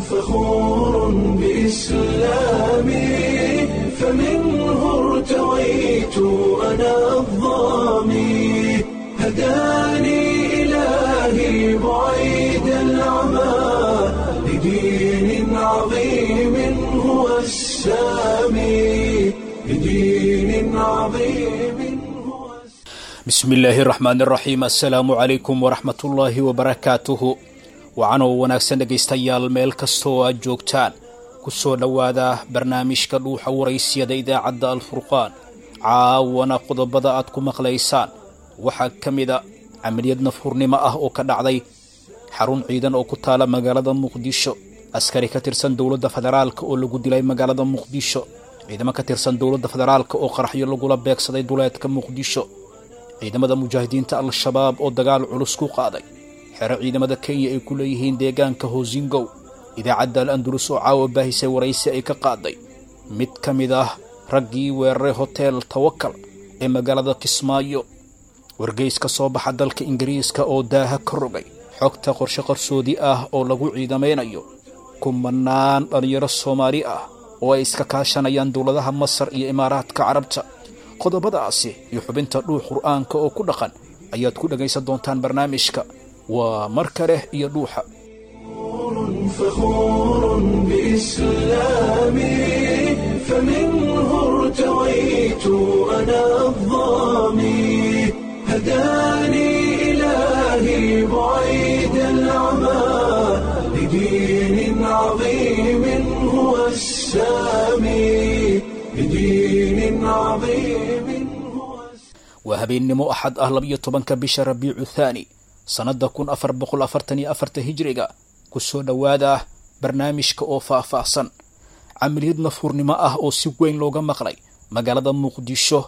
فخور بإسلامي فمنه ارتويت أنا الظامي هداني إلهي بعيد العمى لدين عظيم هو السامي لدين عظيم. بسم الله الرحمن الرحيم. السلام عليكم ورحمة الله وبركاته. Wacanoo wanaagsan dhegaystayaal meel kastoo aad joogtaan, ku soo dhowaada barnaamijka Dhuuxa Waraysiyada idaacadda Alfurqaan. Caawana qodobada aad ku maqlaysaan waxaa ka mid a camaliyad nafhurnimo ah oo ka dhacday xarun ciidan oo ku taala magaalada Muqdisho, askari ka tirsan dowladda federaalka oo lagu dilay magaalada Muqdisho, ciidamo ka tirsan dowladda federaalka oo qaraxyo lagula beegsaday duleedka Muqdisho, ciidamada mujaahidiinta Al-Shabaab oo dagaal culus ku qaaday xero ciidamada Kenya ay ku leeyihiin deegaanka Hosingow, idaacadda Al-Andalus oo caawa baahisay waraysi ay ka qaaday mid ka mid ah raggii weeraray Hotel Tawakal ee magaalada Kismaayo, wargeys ka soo baxa dalka Ingiriiska oo daaha ka rogay xogta qorshe qarsoodi ah oo lagu ciidamaynayo kumanaan dhalinyaro Soomaali ah oo ay iska kaashanayaan dowladaha Masar iyo Imaaraadka Carabta. Qodobadaasi iyo xubinta Dhuux Qur'aanka oo ku dhaqan ayaad ku dhagaysan doontaan barnaamijka. Waa mar kale iyo Dhuuxa. فخور بإسلامي فمنه ارتويت أنا الظامي هداني إلهي بعيد العمى لدين عظيم هو السامي لدين عظيم هو. Waa habeennimo Axad ah, 12-ka bisha Rabiicu Thaani, sannadda 1444 hijriga. Ku soo dhowaada barnaamijka oo faah-faahsan. Camaliyad nafhurnimo ah oo si weyn looga maqlay magaalada Muqdisho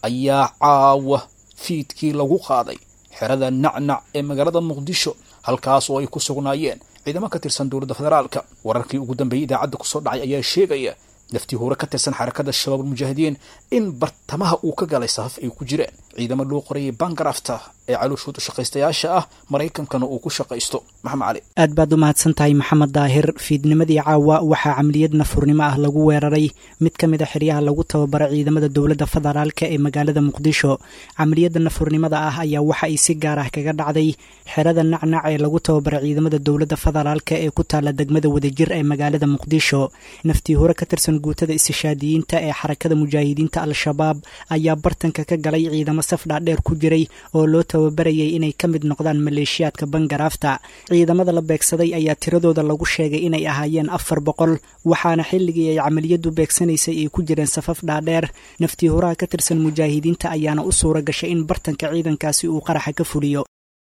ayaa caawa fiidkii lagu qaaday xerada Nacnac ee magaalada Muqdisho, halkaas oo ay ku sugnaayeen ciidamo ka tirsan dowladda federaalka. Wararkii ugu dambeeyey idaacadda kusoo dhacay ayaa sheegaya naftii hore ka tirsan xarakada Shabaab Mujaahidiin in bartamaha uu ka galay safaf ay ku jireen ciidamo loo qorayay bangarafta ee calooshood u shaqaystayaasha ah, Maraykankana uu ku shaqaysto. Maxamed Cali. Aad baad u mahadsan tahay, Maxamed Daahir. Fiidnimadii caawa waxaa camaliyad nafurnimo ah lagu weeraray mid ka mid a xeryaha lagu tababaro ciidamada dowladda federaalka ee magaalada Muqdisho. Camaliyadda nafurnimada ah ayaa waxa ay si gaar ah kaga dhacday xerada Nacnac ee lagu tababaro ciidamada dowladda federaalka ee ku taala degmada Wadajir ee magaalada Muqdisho. Naftii hore ka tirsan guutada istishaadiyiinta ee xarakada mujaahidiinta Al-Shabaab ayaa bartanka ka galay ciidamo saf dhaadheer ku jiray oo loo tababarayay inay ka mid noqdaan maleeshiyaadka bangaraafta. Ciidamada la beegsaday ayaa tiradooda lagu sheegay inay ahaayeen 400, waxaana xilligii ay camaliyadu beegsanaysay ay ku jireen safaf dhaadheer. Naftii huraha ka tirsan mujaahidiinta ayaana u suura gashay in bartanka ciidankaasi uu qaraxa ka fuliyo.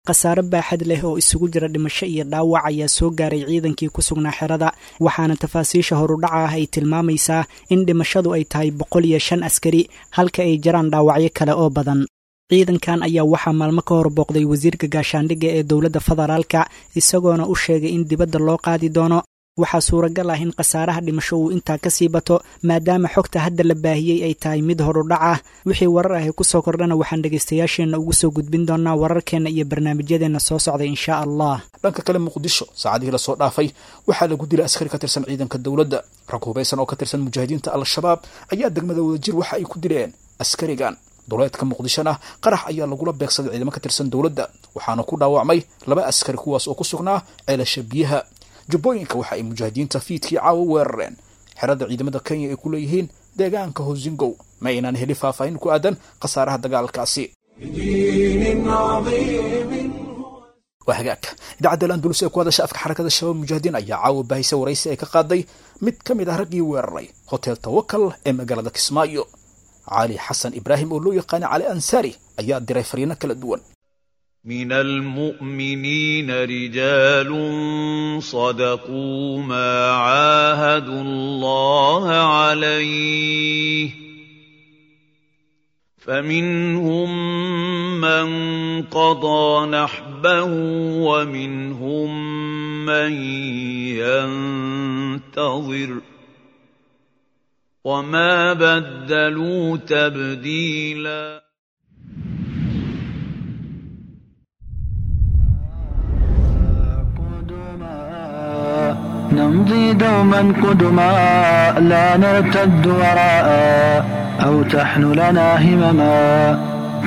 Khasaare baaxad leh oo isugu jira dhimasho iyo dhaawac ayaa soo gaaray ciidankii ku sugnaa xerada, waxaana tafaasiisha horudhaca ah ay tilmaamaysaa in dhimashadu ay tahay 105 askari, halka ay jiraan dhaawacyo kale oo badan. Ciidankan ayaa waxaa maalmo ka hor booqday wasiirka gaashaandhigga ee dowladda federaalka, isagoona u sheegay in dibadda loo qaadi doono. Waxaa suuragal ah in khasaaraha dhimasho uu intaa ka sii bato, maadaama xogta hadda la baahiyey ay tahay mid horudhac ah. Wixii warar ahi kusoo kordhana waxaan dhegaystayaasheenna ugu soo gudbin doonaa wararkeenna iyo barnaamijyadeenna soo socday, insha Allah. Dhanka kale, Muqdisho saacadihii lasoo dhaafay waxaa lagu dilay askari ka tirsan ciidanka dowladda. Rag hubaysan oo ka tirsan mujaahidiinta Al-Shabaab ayaa degmada Wadajir waxa ay ku dileen askarigan. Duleedka Muqdishona qarax ayaa lagula beegsaday ciidamo ka tirsan dowladda, waxaana ku dhaawacmay 2 askari kuwaas oo ku sugnaa ceelasha biyaha. Jubbooyinka waxa ay mujaahidiinta fiidkii caawa weerareen xerada ciidamada Kenya ay ku leeyihiin deegaanka Hosingow. Ma aynaan helin faahfaahin ku aadan khasaaraha dagaalkaasi. لدين عظيم. Waa hagaag. Idaacadda Al-Andalus ee ku hadasha afka xarakada Shabaab Mujaahidiin ayaa caawa baahisa waraysi ay ka qaaday mid ka mid ah raggii weeraray Hotel Tawakal ee magaalada Kismaayo. Cali Xasan Ibraahim oo loo yaqaana Cali Ansaari ayaa diray fariino kala duwan. من المؤمنين رجال صدقوا ما عاهدوا الله عليه، فمنهم من قضى نحبه ومنهم من ينتظر، وما بدلوا تبديلا. نمضي دوما قدما لا نرتد وراء أو تحن لنا همما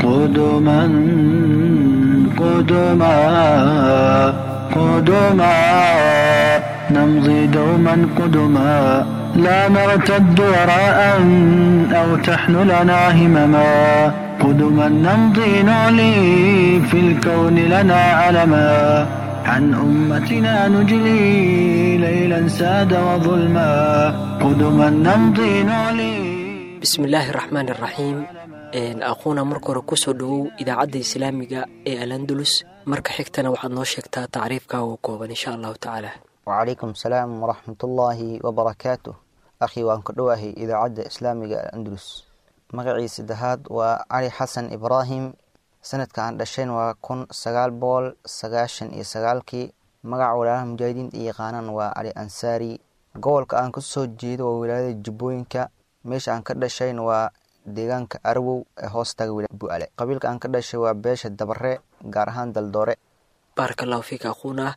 قدما قدما قدما نمضي دوما قدما لا نرتد وراء أو تحن لنا همما قدما نمضي نعلي في الكون لنا علما عن أمتنا نجلي ليلا ساد وظلما قدما نمضي نعلي. Bismi illaahi raxmaan iraxiim. Aquuna, marka hore kusoo dhowow idaacadda islaamiga ee Alandulus. Marka xigtana waxaad noo sheegtaa tacriifka oo kooban, insha allahu tacaala. Wacalaykum asalaam waraxmatullaahi wabarakaatuh. Akhi, waan ku dhowahay idaacadda islaamiga Alandulus. Magacii saddexaad waa Cali Xasan Ibraahim. Sanadka aan dhashayn waa 1999-kii. Magaca walaalaha mujaahidiinta i yaqaanaan waa Cali Ansaari. Gobolka aan kasoo jeedo waa wilaayada Jubbooyinka. Meesha aan ka dhashayn waa deegaanka Arwow ee hoostaga Bu'ale. Qabiilka aan ka dhashay waa beesha Dabare, gaar ahaan Daldoore. Baaraka allahu fiika, aquuna.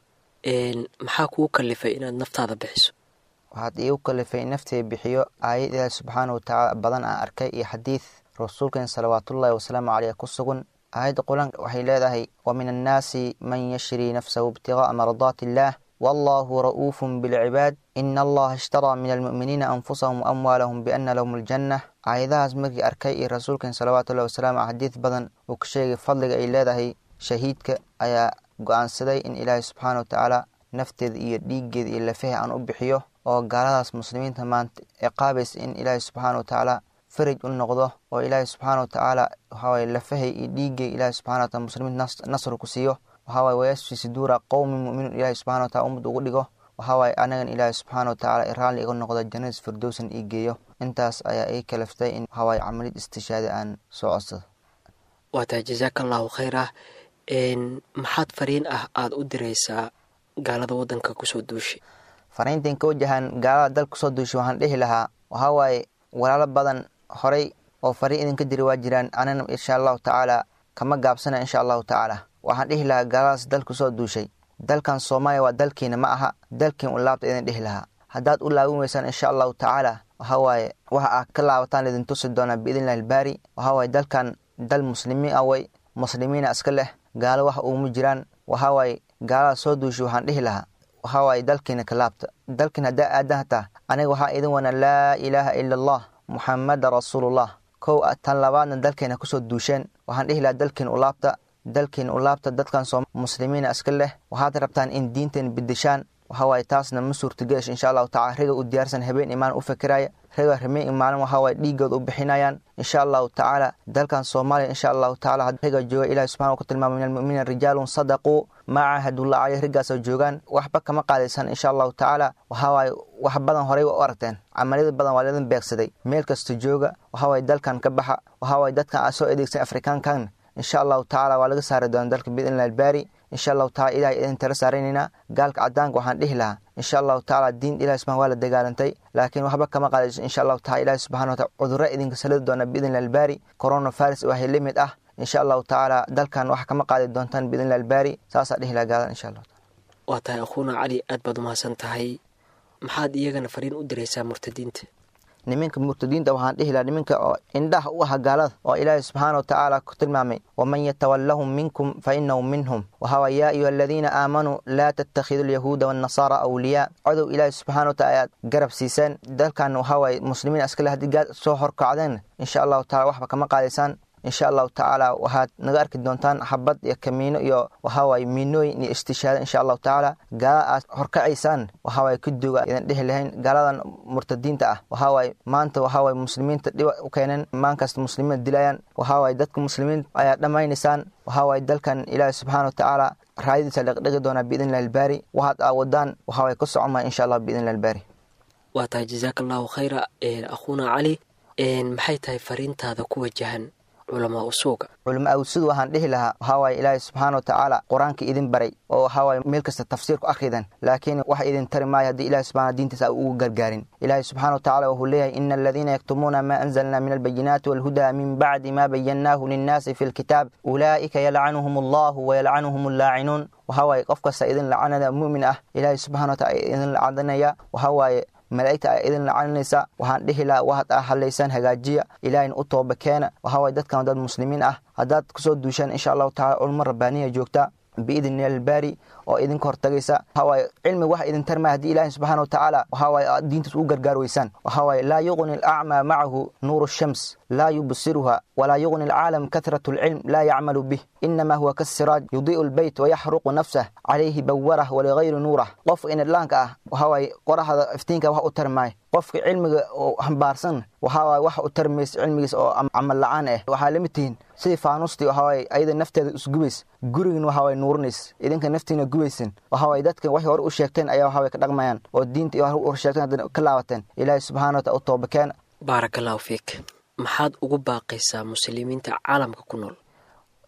Maxaa kugu kalifay inaad naftaada bixiso? Waxaad iigu kalifay naftay bixiyo aayad Ilaahi subxaana watacaala badan aan arkay iyo xadiid rasuulkeen salawaatullaahi wasalaamu caleyh ku sugan. Aayadda qur-aanka waxay leedahay: wa min annaasi man yashrii nafsahu ibtiqaa'a mardaati illaah wallahu ra'uufun bilcibaad ina allaha ishtaraa min almu'miniina anfusahum waamwaalahum biana lahum aljanna. Aayadahaas markii arkay iyo rasuulkeen salawaatullahi wasalaamu xadiid badan uu ka sheegay fadliga ay leedahay shahiidka, ayaa go-aansaday in Ilaahay subxaana watacaala nafteeda iyo dhiiggeeda iyo lafaha aan u bixiyo oo gaaladaas muslimiinta maanta ciqaabaysa in Ilaahay subxaana watacaala faraj u noqdo, oo Ilaahay subxaana watacaala waxaawaye lafahay iyo dhiiggay Ilaahay subxana wataala muslimiinta nasr ku siiyo. Waxaawaye wayasfi suduura qowmin mu'miniin Ilaahay subxana wataala ummad ugu dhigo. Waxaawaye anagan Ilaahay subxaana watacaala raalli iga noqdo, jannadis firdowsan ii geeyo. Intaas ayaa ii kalaftay in waxaawaye camalid istishaadi aan soo codsado. Waa tahay, jazaaka allahu khayra. Maxaad fariin ah aada u diraysaa gaalada waddanka kusoo duushay? Fariintan ka wajahan gaalada dalka kusoo duushay waxaan dhihi lahaa, waxaa waaye walaalo badan horay oo fariin idinka diri waa jiraan, anana insha allahu tacaala kama gaabsana insha allahu tacaala. Waxaan dhihi lahaa gaaladaas dalka kusoo duushay, dalkan Soomaaliya waa dalkiina, ma aha dalkiin u laabta idin dhihi lahaa. Haddaad u laabin weysaan, insha allahu tacaala waxaa waaye waxa aad ka laabataan idin tusi doonaa biidnillahi albaari. Waxaa waaye dalkan dal muslimiin ah way, muslimiina iska leh, gaalo wax uuma jiraan. Waxaa waaye gaalada soo duushay waxaan dhihi lahaa, waxaa waaye dalkiina ka laabta. Dalkiina haddaa aadan hataa, aniga waxaa idin wana laa ilaaha ila allah muxamada rasuulullah. Kow tan labaadna dalkeena kusoo duusheen, waxaan dhihi lahaa dalkiina u laabta, dalkiina u laabta. Dadkan soo muslimiina iska leh, waxaad rabtaan in diinteen bedeshaan. Waxaa waaye taasna ma suurtagelish insha allahu tacala. Riga u diyaarsan habeen imaan u fikiraya, riga habeen imaalin waxaa waaye dhiigooda u bixinayaan insha allahu tacaala. Dalkan Soomaaliya insha allahu tacaala riga jooga Ilahi subxana ku tilmaamay min almu'miniina rijaalun sadaquu maa caahadullah caleyh. Riggaasoo joogaan waxba kama qaadaysan insha allahu tacaala. Waxaa waaye wax badan horey u aragteen, camaliyada badan waa laidin beegsaday. Meel kasta jooga, waxaa waaye dalkan ka baxa. Waxaa waaye dadkan aad soo adeegsan Afrikaankan insha allahu tacaala waa laga saari doona dalka biidnillahi albaari insha allahu tacala. Ilahay idin tala saaranaynaa. Gaalka cadaanka waxaan dhihi lahaa insha allahu tacala diin Ilahi subxana waa la dagaalantay, laakiin waxba kama qaadayso insha allahu tacala. Ilahi subxana wataala cudurro idinka salidi doona biidnillahi albaari, coronavirus waxay la mid ah insha allahu tacaala. Dalkan wax kama qaadi doontaan biidnillahi albaari. Saasaa dhihi lahaa gaalada insha allahu taala. Waa tahay, akhuuna Cali, aad baad umahadsan tahay. Maxaad iyagana fariin u diraysaa murtadiinta? Niminka murtadiinta waxaan dhihi lahaa, niminka oo indhaha u ah gaalada oo Ilaahay subxaana wa tacaala ku tilmaamay waman yatawallahum minkum fa innahum minhum. Waxaa waay yaa ayuha aladiina aamanuu laa tattakhidu alyahuuda waannasaara awliyaa. Codow Ilaahay subxaana wa taala ayaad garab siiseen. Dalkan waxaa waaye muslimiin iskale, haddii gaal soo horkacdeen insha allahu tacala waxba kama qaadaysaan insha allahu tacaala. Waxaad naga arki doontaan xabad iyo kamiino iyo waxaa waaye miinooyin iyo istishaado insha allahu tacaala. Gaalada aad horkacaysaan waxaa waaye ku duuga idan dhihi lahayn. Gaaladan murtadiinta ah waxaa waaye maanta waxaa waaye muslimiinta dhiba u keeneen, maankasta muslimiinta dilayaan. Waxaa waaye dadka muslimiinta ayaa dhammaynaysaan. Waxaa waaye dalkan Ilaahi subxaana wa tacaala raayadiisa dhaqdhaqi doonaa biidnillahi albaari. Waxaad aawadaan waxaa waaye ku socon maya insha allah biidnillahi albaari. Waa tahay, jazaaka allahu khayra, akhuuna Cali. Maxay tahay fariintaada ku wajahan Culamaa usuuga? Culamaa usuud waxaan dhihi lahaa waxaa waaye Ilaahay subxaana wa tacaala qur-aanka idin baray oo waxaa waaye meel kasta tafsiir ku akhridan, laakiin wax idin tari maayo haddii Ilahi subxana diintiisa a ugu gargaarin. Ilaahay subxaana wa tacala wuxuu leeyahay: ina aladiina yaktumuuna maa anzalna min albayinaati walhudaa min bacdi ma bayannaahu linnaasi fi lkitaab ulaa'ika yalcanuhum allahu wayalcanuhum allaacinuun. Waxaa waaye qof kasta idin lacanada mu'min ah, Ilaahay subxana wa tacala idin lacadanaya, waxaa waaye malaa'igta ay idin lacanaysa. Waxaan dhihi lahaa waxaad aa hadlaysaan hagaajiya, ilaahayna u tooba keena. Waxaa waaye dadkan dad muslimiin ah, haddaad kusoo duushaan insha allahu tacala culmo rabbaaniya joogta biidni albaari oo idinka hortagaysa. Waxaa waaye cilmi wax idin tarmaya haddii ilaahay subxaana wa tacaala waxaa waaye aad diintiis ugu gargaar weysaan. Waxaa waaye laa yuqni alacmaa macahu nuuru shams laa yubsiruha, walaa yuqni alcaalam kathratu alcilm laa yacmalu bih, inama huwa kasiraaj yudii'u albayt wayaxruqu nafsah calayhi bawarah waligayri nuurah. Qofka inadlaanka ah waxaa waaye qoraxda iftiinka wax u tarmaayo. Qofka cilmiga oo xambaarsan waxaa waaye wax u tarmaysa cilmigiis oo camal la-aan ah. Waxaa la mid tihiin sidii faanuustii, waxaa waaye ayada nafteeda isgubays, gurigin waxaa waaye nuurinays, idinka naftiina gubaysan. Waxaa waaye dadkan waxay hore u sheegteen ayaa waxaa waye ka dhaqmayaan oo diinta iyo hore u sheegteen haddana ka laabateen. Ilaahay subxaana wa taala u tooba keena. Baarakallahu fiik. Maxaad ugu baaqaysaa muslimiinta caalamka ku nool?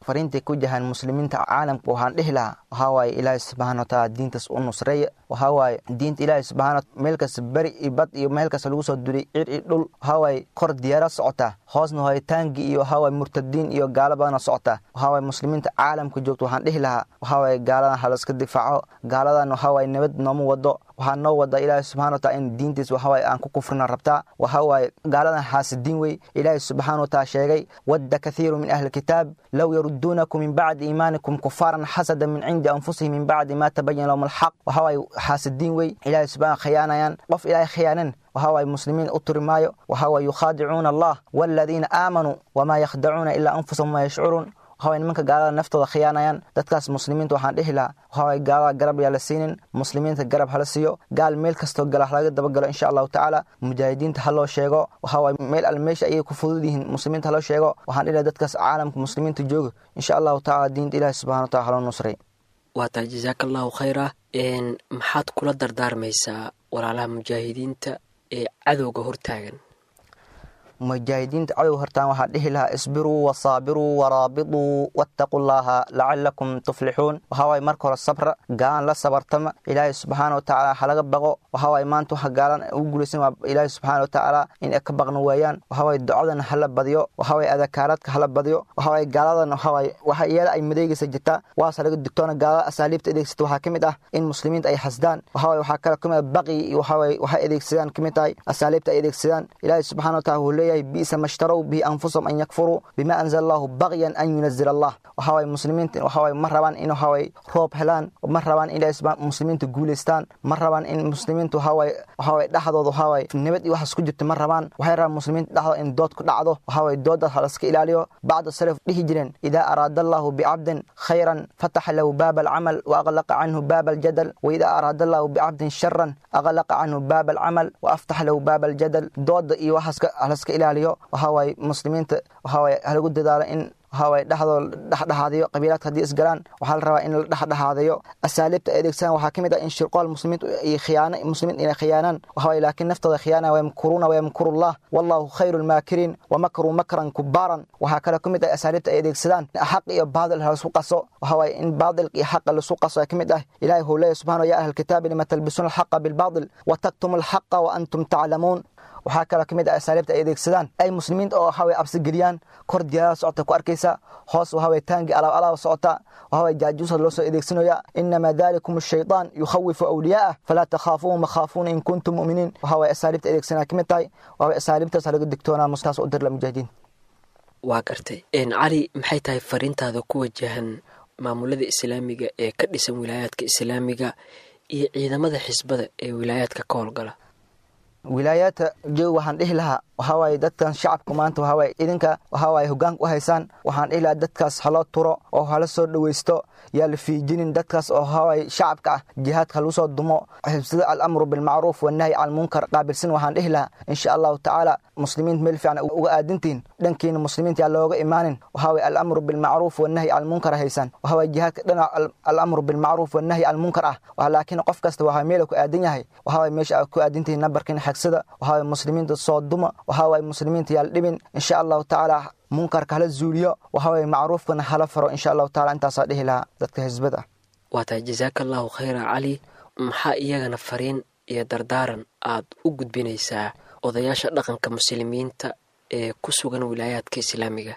Fariintay ku jahaan muslimiinta caalamka waxaan dhihi lahaa waxaa waaye Ilaahay subxaana wa tacaala diintaas u nusreeya. Waxaa waaye diinta Ilaahay subxaana meel kasta beri iyo bad iyo meel kasta lagu soo duray, cir iyo dhul. Waxaa waaye kor diyaarad socotaa, hoosna waaye taangi iyo waxaa waaye murtadiin iyo gaalo badana socotaa. Waxaa waaye muslimiinta caalamka joogta waxaan dhihi lahaa waxaa waaye gaaladan ha laska difaaco. Gaaladan waxaa waaye nabad nooma wado, waxaa noo wada Ilaahay subxana wa taala in diintiis waxaa waaye aan ku kufrina rabtaa. Waxaa waaye gaaladan xaasidiin wey. Ilaahay subxaana wa taala sheegay: wadda kathiiru min ahli kitaab low yaruduunakum min bacdi iimaanikum kufaaran xasada min cindi anfusihim min bacdi ma tabayana lahum alxaq. Waxaa waaye xaasidiin wey, Ilaahay subxana khiyaanayaan. Qof Ilaahay khiyaanan waxaa waaye muslimiin u turi maayo. Waxaa waaye yukhaadicuuna allah waaladiina aamanuu wamaa yakhdacuuna ilaa anfusahum wamaa yashcuruun. Waxaa waye nimanka gaalada naftooda khiyaanayaan. Dadkaas muslimiinta waxaan dhihi lahaa waxaa waye gaalada garab yaa la siinin, muslimiinta garab hala siiyo. Gaal meel kastoo gala halaga dabagalo insha allahu tacaala. Mujaahidiinta ha loo sheego, waxaa waye meel al meesha ayay ku fudud yihiin muslimiinta haloo sheego. Waxaan dhihi lahaa dadkaas caalamka muslimiinta jooga insha allahu tacaala diinta Ilaahi subxana wa taala haloo nusray. Waa tahay, jasaaka allahu khayra. Maxaad kula dardaarmaysaa walaalaha mujaahidiinta ee cadowga hortaagan? Mujaahidiinta cadowga hortaan waxaa dhihi lahaa: isbiruu wasaabiruu waraabituu wattaquu llaha lacalakum tuflixuun. Waxaa waaye marka hore sabra, gaalan la sabartama, Ilaahay subxaana wa tacaala halaga baqo. Waxaa waaye maanta waxa gaalan ugu guulaysan waa Ilaahay subxaana wa tacaala in ay ka baqna waayaan. Waxaa waaye ducadan hala badiyo, waxaa waaye adakaaraadka hala badiyo. Waxaa waaye gaaladan waxaa waaye waxa iyada ay madeegaysa jirta waase laga digtoona. Gaalada asaaliibta adeegsata waxaa ka mid ah in muslimiinta ay xasdaan. Waxaa waaye waxaa kale kamid ah baqi iyo waxaa waaye waxay adeegsadaan ka mid tahay asaaliibta ay adeegsadaan. Ilaahay subxaana wa taala wuxuu leeyahay: bi'sa mashtarow bihi anfusahum an yakfuruu bima anzala allahu bagyan an yunazila allah. Waxaa waaye muslimiinta waxaa waaye ma rabaan in waxaa waaye roob helaan, ma rabaan in Ilaahay subxaana muslimiinta guulaystaan, ma rabaan in muslimiinta waxaa waaye dhexdooda waxaa waaye nabad iyo waxaas ku jirta ma rabaan. Waxay rabaan muslimiinta dhexdooda in dood ku dhacdo. Waxaa waaye doodaas ha laska ilaaliyo. Bacda salaf dhihi jireen: idaa araada allahu bicabdin khayran fataxa lahu baaba alcamal wa aqlaqa canhu baaba aljadal, waidaa araada allahu bicabdin sharan aqlaqa canhu baaba alcamal wa aftaxa lahu baaba aljadal. Dooda iyo waxaas halaska ilaaliyo. Waxaa waaye muslimiinta waxaa waaye halagu dadaalo in waxaa waaye dhexdooda dhexdhexaadiyo. Qabiilaadka haddii isgalaan waxaa la rabaa in la dhexdhexaadayo. Asaaliibta ay adeegsadaan waxaa ka mid ah in shirqool muslimiinta iyo khiyaano, muslimiinta inay khiyaanaan. Waxaa waaye laakiin naftooda khiyaanaya. Wayamkuruuna wayamkurullah wallahu khayru lmaakiriin wamakruu makran kubaaran. Waxaa kale ka mid ah asaaliibta ay adeegsadaan xaq iyo baadil laisku qaso. Waxaa waaye in baadilka iyo xaqa laisku qaso ay ka mid ah. Ilaahay wuxuu leeyahy subxana: ya ahla alkitaabi lima talbisuuna alxaqa bilbaadil wataktumu alxaqa wa antum taclamuun. Waxaa kaloo ka mid ah asaaliibta ay adeegsadaan ay muslimiinta oo waxaa waye absi geliyaan. Kor diyaarada socota ku arkaysa, hoos waxaa waye taangi alaab alaab socota, waxaa waye jaajuusad loo soo adeegsanaya. Inamaa dalikum ashaytaan yukhawifu awliyaa'ah falaa takhaafuuhum wakhaafuuna in kuntum mu'miniin. Waxaa waye asaaliibta adeegsanaya ka mid tahay. Waxaa waye asaaliibtaas laga digtoonaa mustaas u dirla mujaahidiin. Waa gartay. Cali, maxay tahay fariintaada ku wajahan maamulada islaamiga ee ka dhisan wilaayaadka islaamiga iyo ciidamada xisbada ee wilaayaadka ka howlgala? Wilaayaadka joog waxaan dhihi lahaa waxaa waaye dadkan shacabka maanta waxaa waaye idinka waxaa waaye hoggaanka u haysaan. Waxaan dhihi lahaa dadkaas haloo turo oo hala soo dhawaysto, yaa la fiijinin dadkaas oo waxaa waaye shacabka ah. Jihaadka halagu soo dumo, xibsida alamru bilmacruuf wannahyi can almunkar qaabilsan. Waxaan dhihi lahaa insha allahu tacaala muslimiinta meel fiican uga aadintiin, dhankiina muslimiinta yaa looga imaanin. Waxaa waaye alamru bilmacruuf wannahyi can almunkar haysaan. Waxaa waaye jihaadka dhinaca alamru bilmacruuf wannahyi can almunkar ah, laakiin qof kasta waxaa meel ku aadan yahay. Waxaa waaye meesha aad ku aadintihiin nambarkiina xagsada. Waxaa waaye muslimiinta soo duma. Waxaa waaye muslimiinta yaal dhibin, insha Allahu tacaala munkarka hala zuuliyo, waxaa waaye macruufkana hala faro, insha Allahu tacaala. Intaasaa dhihi lahaa dadka xisbada. Waa tahay, jasaaka Allahu khayra Cali. Maxaa iyagana fariin iyo dardaaran aad u gudbinaysaa odayaasha dhaqanka muslimiinta ee ku sugan wilaayaadka islaamiga?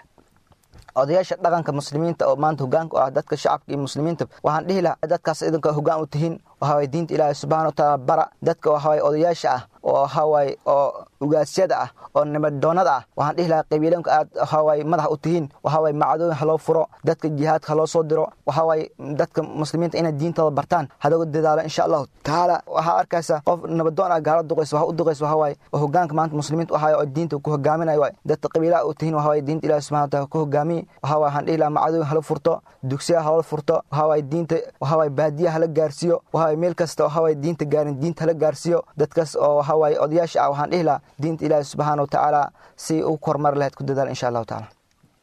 Odayaasha dhaqanka muslimiinta oo maanta hogaanka u ah dadka shacabka iyo muslimiinta, waxaan dhihi lahaa dadkaas idinka hogaan u tihiin, waxawaaye diinta Ilaahay subxana watacaala bara dadka. Waxawaaye odayaasha ah oo waxawaaye oo ugaasyada ah oo nabadoonada ah, waxaan dhihi lahaa qabiilanka aad waxawaaye madax u tihiin, waxawaaye macadooyin haloo furo, dadka jihaadka haloo soo diro, waxawaaye dadka muslimiinta inay diintooda bartaan halagu dadaalo, insha Allahu tacaala. Waxaa arkaysa qof nabadoon ah gaala duqaysa, waxa u duqaysa waxawaaye oo hogaanka maanta muslimiinta u hayo oo diinta ku hogaaminayo waay. Dadka qabiilaha u tihiin, waxawaaye diinta Ilaahi subxana wataala ku hogaamiye. Waxawaaye waxaan dhihi lahaa macadooyin hala furto, dugsiyaha hala furto, waxawaaye diinta waxawaaye baadiyaha hala gaarsiiyo, waxawaaye meel kasta waxawaaye diinta gaarin diinta hala gaarsiiyo. Dadkaas oo waxawaaye odayaasha ah, waxaan dhihi lahaa diinta Ilaahi subxaana watacaala si u kormar lahayd ku dadaal, insha Allahu tacaala.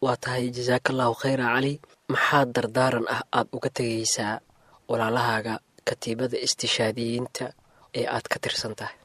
Waa tahay, jasaaka Allahu khayra Cali. Maxaa dardaaran ah aad uga tegaysaa walaalahaaga katiibada istishaadiyiinta ee aad ka tirsan tahay?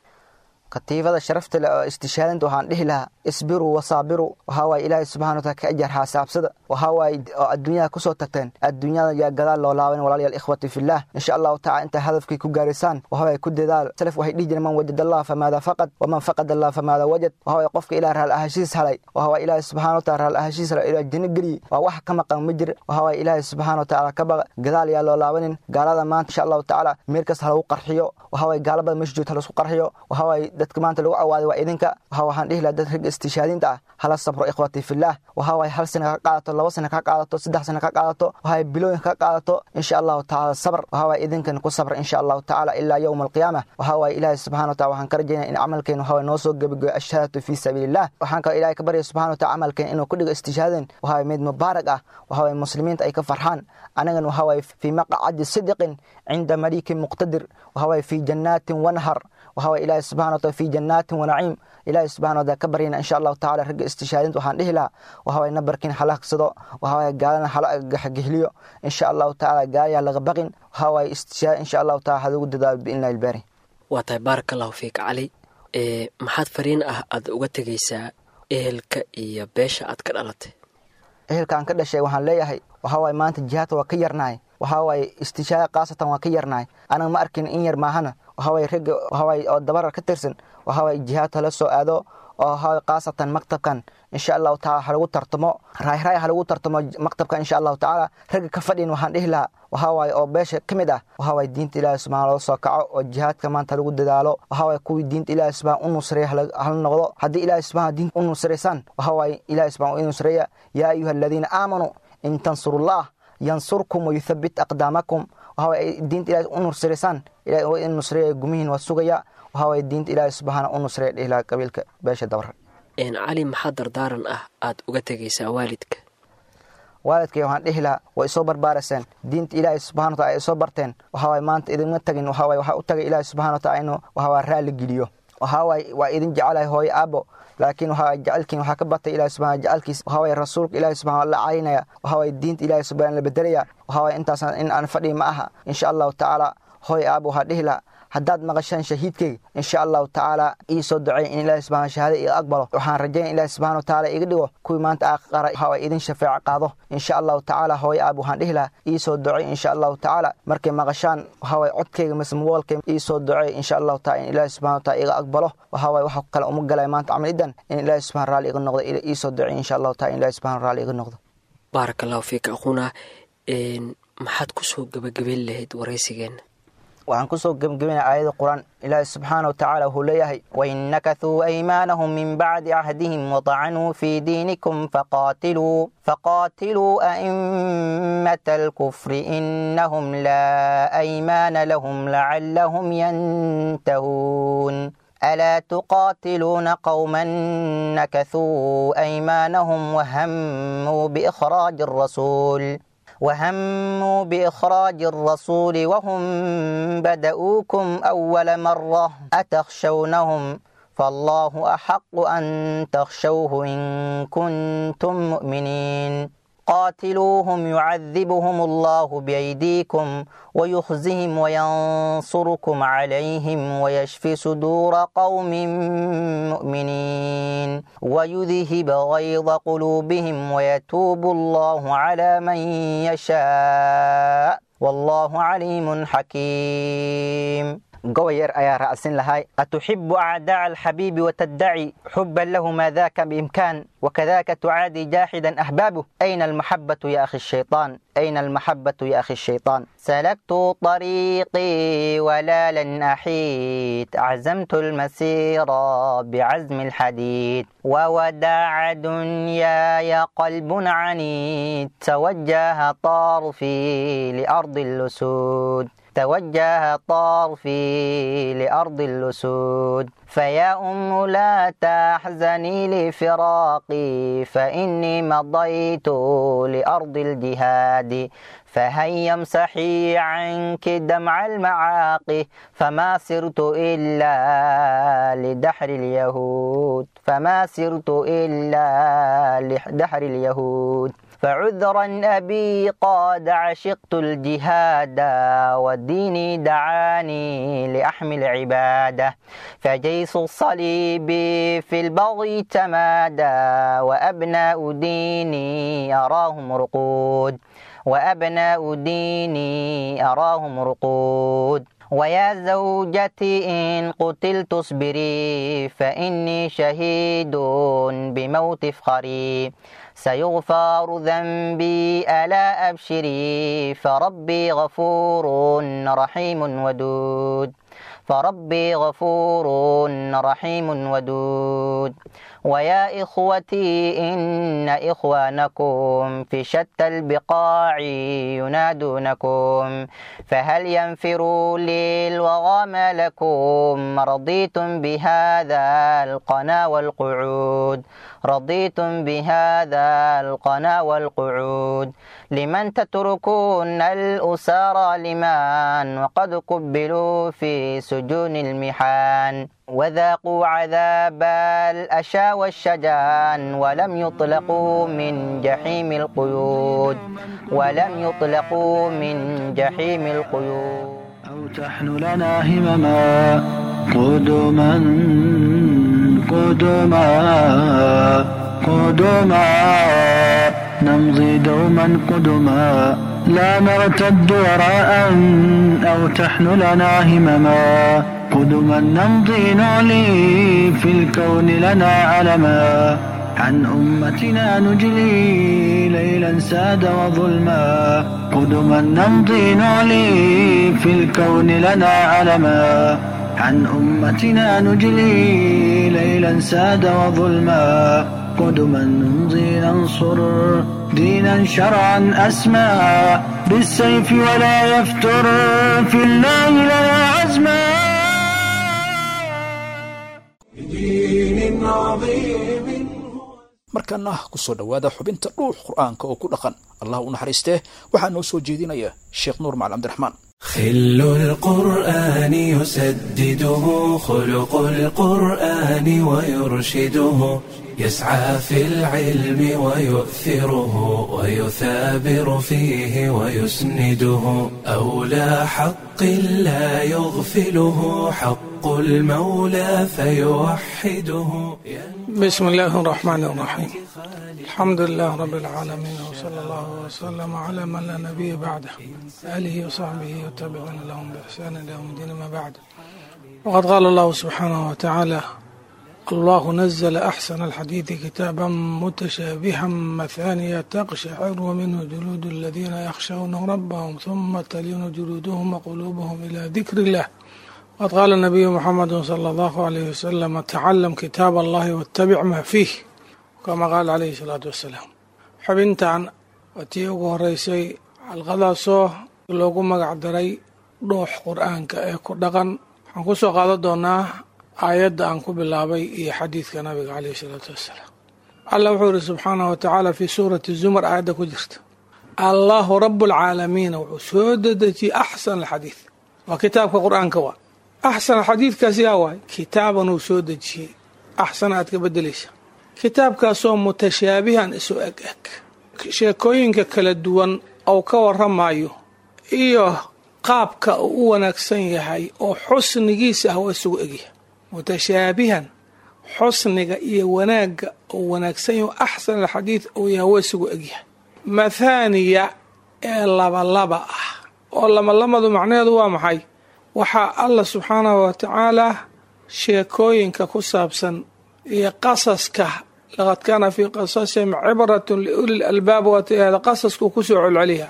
Katiibada sharafta leh oo istishaadinta waxaan dhihi lahaa isbiruu wasaabiruu. Waxaa waaye Ilaahay subxana wataala ka ajar xaasaabsada. Waxaa waaye oo adduunyada kusoo tagteen, adduunyada yaa gadaal loo laaban. Walaalayaal, ikhwati fillah, insha Allahu tacala intaa hadafkii ku gaaraysaan waxaa waaye ku dadaal. Salaf waxay dhihi jireen: man wajad Allah famaada faqad, waman faqad Allah famaada wajad. Waxaa waaye qofka Ilaah raal ahashiis halay, waxaa waaye Ilaahay subxana wataala raal ahashiis halay, Ilaah janno geliye, waa wax ka maqan ma jir. Waxaa waaye Ilaahay subxaana watacaala ka baqa, gadaal yaa loo laabanin. Gaalada maanta insha Allahu tacaala meel kasta ha lagu qarxiyo. Waxaa waaye gaala badan meesha joogta ha laisku qarxiyo. Waxaa waaye dadka maanta lagu cawaaday waa idinka. Waxaan dhihi lahaa dad ragga istishaadinta ah hala sabro, ikhwati fillah. Waxaa waaye 1 sana ka qaadato, 2 sana ka qaadato, 3 sana ka qaadato, waxaa bilooyin ka qaadato, insha Allahu tacaala sabr. Waxaa waaye idinkan ku sabra, insha Allahu tacaala, ilaa yowma alqiyaama. Waxaa waaye Ilaahay subxana wataala waxaan ka rajaynaya in camalkeen waxaa noo soo gebagoyo ashahaadatu fii sabiilillah. Waxaan kaloo Ilaahay ka barya subxana wataala camalkeen inuu ku dhigo istishaadin waxaa waaye mid mubaarak ah, waxaa waaye muslimiinta ay ka farxaan, anagan waxaa waaye fii maqcadi sidiqin cinda maliikin muqtadir, waxaa waaye fii jannaatin wanhar, waxaa waaye Ilaahay subxana wataala fii jannaatin wanaciim. Ilaahay subxana wataala ka baryana, insha Allahu tacaala. Ragga istishaadinta waxaan dhihi lahaa waxaa waaye nabarkiin hala hagsado, waxaa waaye gaalana hala gahgihliyo, insha Allahu tacaala. Gaalayaa laga baqin, waxaa waaye istishaad insha Allahu taala halagu dadaalo biidnillahi albaari. Waa tahay, baaraka Allahu fiik Cali. Maxaad fariin ah aad uga tegaysaa ehelka iyo beesha aad ka dhalatay? Ehelka aan ka dhashay waxaan leeyahay waxaa waaye maanta jihaadka waa ka yarnahay, waxaa waaye istishaada khaasatan waa ka yarnahay. Anaga ma arkin in yar maahana. Waxaa waaye ragga waxaa waaye oo dabarar ka tirsan, waxaa waaye jihaadka la soo aado oo waxaa waaye khaasatan maktabkan, insha Allahu tacaala ha lagu tartamo, raayraay ha lagu tartamo maktabka, insha Allahu tacaala. Ragga ka fadhin waxaan dhihi lahaa waxaa waaye oo beesha ka mid ah, waxaa waaye diinta Ilaahay subxaana loo soo kaco oo jihaadka maanta lagu dadaalo. Waxaa waaye kuwii diinta Ilaahay subxaana u nusreeya hala noqdo. Haddii Ilaahay subxaana diinta u nusreysaan, waxaa waaye Ilaahay subxaana u nusreeya. Yaa ayuha aladiina aamanuu in tansurullah yansurkum wayuthabbit aqdaamakum. Waxaa waaye diinta Ilaahay u nusreysaan, Ilaahay waa in nusreeya, gumihiin waa sugaya. Waxaa waaye diinta Ilaahay subxaana u nusreeya dhihi lahaa qabiilka beesha Dabar. Cali, maxaa dardaaran ah aad uga tegaysaa waalidka? Waalidkay waxaan dhihi lahaa way isoo barbaaraseen, diinta Ilaahay subxana wataala ay isoo barteen. Waxaa waaye maanta idinma tagin, waxaa waaye waxaa u tagay Ilaahay subxana wataala inuu waxaa waaye raalli geliyo. Waxaa waaye waa idin jecelahay hooyo aabbo, laakiin waxaa jecelkiin waxaa ka batay Ilaahay subxana jecelkiis. Waxaa waaye rasuulka Ilaahay subxana la caynaya, waxaa waaye diinta Ilaahay subxana la bedelaya. Waxaa waaye intaasna in aan fadhiyi ma aha, insha Allahu tacaala. Hooyo aabbo waxaa dhihi lahaa haddaad maqashaan shahiidkayga, insha Allahu tacaala ii soo duceey in Ilaahi subxana shahaada iga aqbalo. Waxaan rajaynaya Ilaahi subxana watacaala iga dhigo kuwii maanta aqara, waxaa waaye idin shafeeco qaado, insha Allahu tacaala. Hooyo aab waxaan dhihi lahaa ii soo duceey, insha Allahu tacaala. Markay maqashaan waxaa waaye codkayga mise moboolkayga, ii soo duceey, insha Allahu taala, in Ilaahi subxana wataala iga aqbalo. Waxaa waaye waxa kale uma galay maanta camalidan in Ilaahi subxana raalli iga noqdo. Ii soo duceey, insha Allahu taala, in Ilaahi subxana raalli iga noqdo. Baaraka Allahu fiika aquuna. Maxaad kusoo gebagabeyn lahayd waraysigeenna? Waxaan kusoo gebgebinaya aayada Qur-aan. Ilaahi subxaana wa tacaala wuxuu leeyahay: wain nakathuu aymaanahum min bacdi cahdihim watacanuu fii diinikum faqaatiluu a'immata alkufri inahum laa aymaana lahum lacallahum yantahuun. Alaa tuqaatiluuna qowman nakathuu aymaanahum وهموا بإخراج الرسول وهم بدؤوكم أول مرة أتخشونهم فالله أحق أن تخشوه إن كنتم مؤمنين. قاتلوهم يعذبهم الله بأيديكم ويخزهم وينصركم عليهم ويشفي صدور قوم مؤمنين ويذهب غيظ قلوبهم ويتوب الله على من يشاء والله عليم حكيم. قوير أيا رأس لهاي أتحب أعداء الحبيب وتدعي حبا له ما ذاك بإمكان وكذاك تعادي جاحدا أحبابه أين المحبة يا أخي الشيطان أين المحبة يا أخي الشيطان. سلكت طريقي ولا لن أحيد عزمت المسير بعزم الحديد ووداع دنياي قلب عنيد توجه طرفي لأرض الأسود توجه طرفي لأرض الأسود. فيا أم لا تحزني لفراقي فإني مضيت لأرض الجهاد فهيا امسحي عنك دمع المعاقي فما سرت إلا لدحر اليهود فما سرت إلا لدحر اليهود. فعذرا أبي قد عشقت الجهاد وديني دعاني لأحمل عباده فجيش الصليب في البغي تمادى وأبناء ديني أراهم رقود وأبناء ديني أراهم رقود. ويا زوجتي إن قتلت اصبري فإني شهيد بموت فخري سيغفر ذنبي ألا أبشري فربي غفور رحيم ودود فربي غفور رحيم ودود. ويا إخوتي إن إخوانكم في شتى البقاع ينادونكم فهل ينفروا للوغى ما لكم رضيتم بهذا القنا والقعود رضيتم بهذا القنا والقعود. لمن تتركون الأسارى لمن وقد قبلوا في سجون المحان وذاقوا عذاب الأشى والشجان ولم يطلقوا من جحيم القيود ولم يطلقوا من جحيم القيود. أو تحن لنا همما قدما قدما قدما نمضي دوما قدما لا نرتد وراء أو تحن لنا همما قدما نمضي نعلي في الكون لنا علما عن أمتنا نجلي ليلا ساد وظلما قدما نمضي نعلي في الكون لنا علما عن أمتنا نجلي ليلا ساد وظلما قدما نمضي ننصر دينا شرعا أسمى بالسيف ولا يفتر في الله لنا عزما. Markaana ku soo dhowaada xubinta dhuux qur'aanka oo ku dhaqan. Allah u naxariistee waxaa noo soo jeedinaya Sheekh Nuur Macalin Cabdiraxmaan. خل القرآن يسدده خلق القرآن ويرشده يسعى في العلم ويؤثره ويثابر فيه ويسنده أولى حق لا يغفله حق المولى فيوحده. بسم الله الرحمن الرحيم. الحمد لله رب العالمين وصلى الله وسلم على من لا نبي بعده آله وصحبه وتابعون لهم بإحسان إلى يوم الدين ما بعد. وقد قال الله سبحانه وتعالى: الله نزل أحسن الحديث كتابا متشابها مثانية تقشعر منه جلود الذين يخشون ربهم ثم تلين جلودهم وقلوبهم إلى ذكر الله. وقد قال النبي محمد صلى الله عليه وسلم: تعلم كتاب الله واتبع ما فيه، كما قال عليه الصلاة والسلام. Xubintan waa tii ugu horeysay xalqadaasoo loogu magac daray dhuux qur-aanka ee ku dhaqan. Waxaan ku soo qaadan doonaa aayadda aan ku bilaabay iyo xadiidka nabiga caleyhi salaatu wassalaam. Allah wuxuu yidhi subxaanahu watacaala fii suurati zumar aayadda ku jirta: Allahu rabu alcaalamiina wuxuu soo dedejiyey axsan alxadiid, waa kitaabka qur-aanka. Waa axsan xadiidkaas yaa waay kitaaban uu soo dejiyey, axsan aad ka bedelaysa, kitaabkaasoo mutashaabihan isu eg eg. Sheekooyinka kala duwan ou ka waramayo iyo qaabka uu u wanaagsan yahay oo xusnigiisa ah waa isugu egyahay. Mutashaabihan xusniga iyo wanaagga uu wanaagsan yahay, axsan alxadiid uu yahay, waa isugu egyahay. Mathaaniya ee labalaba ah, oo labalamadu macnaheedu waa maxay? Waxaa Alla subxaanahu wa tacaala sheekooyinka ku saabsan iyo qasaska, laqad kaana fii qasasihim cibratun liuli lalbaab, waata qasaskuu kusoo celceliya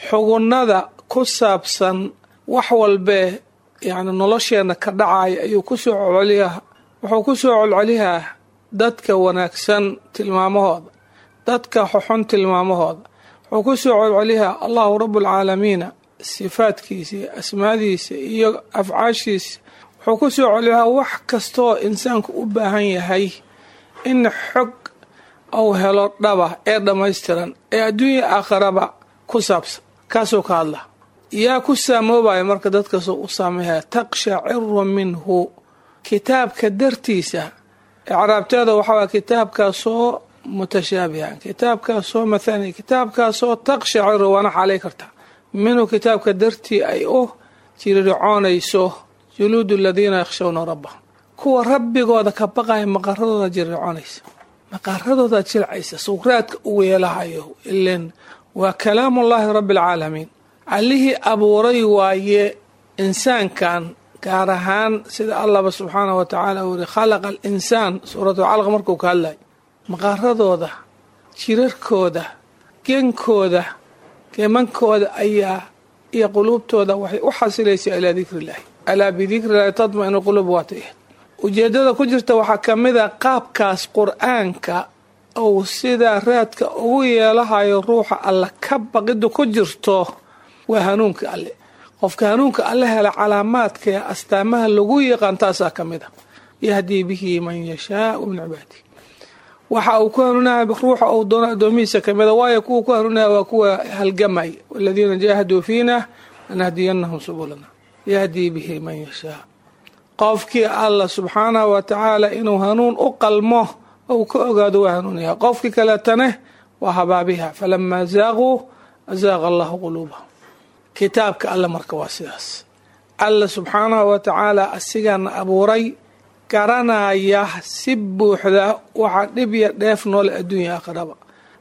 xugunada ku saabsan wax walbee yani nolosheenna ka dhacaya ayuu kusoo celceliyaa. Wuxuu kusoo celceliyaa dadka wanaagsan tilmaamahooda, dadka xuxun tilmaamahooda. Wuxuu kusoo celceliyaa Allahu rabbulcaalamiina sifaadkiisa iyo asmaadiisa iyo afcaashiisa. Wuxuu kusoo celceliyaa wax kastoo insaanku u baahan yahay in xog uu helo dhaba ee dhammaystiran ee adduunya aakhiraba ku saabsan, kaasuu ka hadla. Yaa ku saamoobaya marka dadkaasoo u saameeya? Taqshaciru minhu, kitaabka dartiisa. Icraabteeda waxaa kitaabkaasoo mutashaabihan, kitaabkaasoo mathani, kitaabkaasoo taqshaciru, waana xaalay kartaa, minhu kitaabka dartii ay u jiriricoonayso juluudu aladiina yakhshawna rabbahum, kuwa rabbigooda ka baqaya maqaradooda jiriricoonaysa, maqaradooda jilcaysa sukraadka ugu yeelahayo. Ilen waa kalaamullaahi rabbi alcaalamiin, allihii abuuray waaye insaankan gaar ahaan, sida Allahba subxaanahu wa tacaala uu yiri khalaqa alinsaan, suuratulcalaq markuu ka hadlay. Maqaaradooda, jirarkooda, genkooda, geemankooda ayaa iyo quluubtooda waxay u xasilaysaa ilaa dikriillaahi. Alaa bidikrillahi tatma-inu quluub, waata ujeedada ku jirta. Waxaa ka mid a qaabkaas qur-aanka uu sidaa raadka ugu yeelahayo ruuxa Alla ka baqida ku jirto waa hanuunka Alle. Qofka hanuunka Alle hela, calaamaadka ee astaamaha lagu yaqaan taasaa ka mid a. Yahdii bihi man yashaau min cibaadihi, waxa uu ku hanuunaya ruuxa uu doono addoomihiisa kamida. Waayo, kuwa ku hanuunaya waa kuwa halgamay, waladiina jaahaduu fiina lanahdiyanahum subulana. Yahdii bihi man yashaa, qofkii Alla subxaanahu wa tacaala inuu hanuun u qalmo ou ka ogaado waa hanuunaya, qofkii kaleetane waa habaabiha. Falamaa zaaquu azaaqa allahu quluubahum. Kitaabka Alle marka waa sidaas. Alla subxaanahu wa tacaala asigaana abuuray, garanaya si buuxda waxaa dhib iyo dheef noole adduunya aakhiraba.